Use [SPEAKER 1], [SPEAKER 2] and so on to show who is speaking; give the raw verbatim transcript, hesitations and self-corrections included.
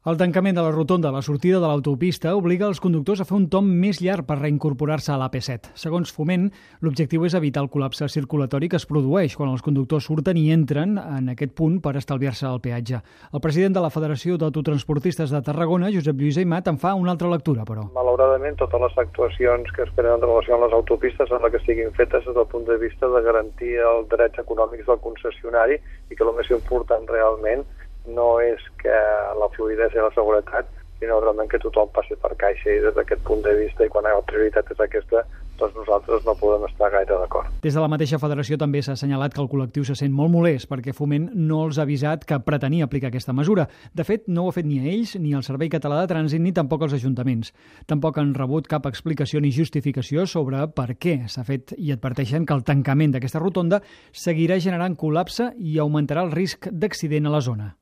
[SPEAKER 1] El tancament de la rotonda a la sortida de l'autopista obliga els conductors a fer un tomb més llarg per reincorporar-se a l'A P set. Segons Foment, l'objectiu és evitar el col·lapse circulatori que es produeix quan els conductors surten i entren en aquest punt per estalviar-se el peatge. El president de la Federació d'Autotransportistes de Tarragona, Josep Lluís Aimat, en fa una altra lectura, però.
[SPEAKER 2] Malauradament, totes les actuacions que es prenen en relació amb les autopistes sembla que siguin fetes des del punt de vista de garantir els drets econòmics del concessionari i que el més important realment no és que la fluïdesa i la seguretat, sinó realment que tothom passi per caixa, i des d'aquest punt de vista i quan la prioritat és aquesta, doncs nosaltres no podem estar gaire d'acord.
[SPEAKER 1] Des de la mateixa federació també s'ha assenyalat que el col·lectiu se sent molt molest perquè Foment no els ha avisat que pretenia aplicar aquesta mesura. De fet, no ho ha fet ni a ells, ni al Servei Català de Trànsit, ni tampoc als ajuntaments. Tampoc han rebut cap explicació ni justificació sobre per què s'ha fet i adverteixen que el tancament d'aquesta rotonda seguirà generant col·lapse i augmentarà el risc d'accident a la zona.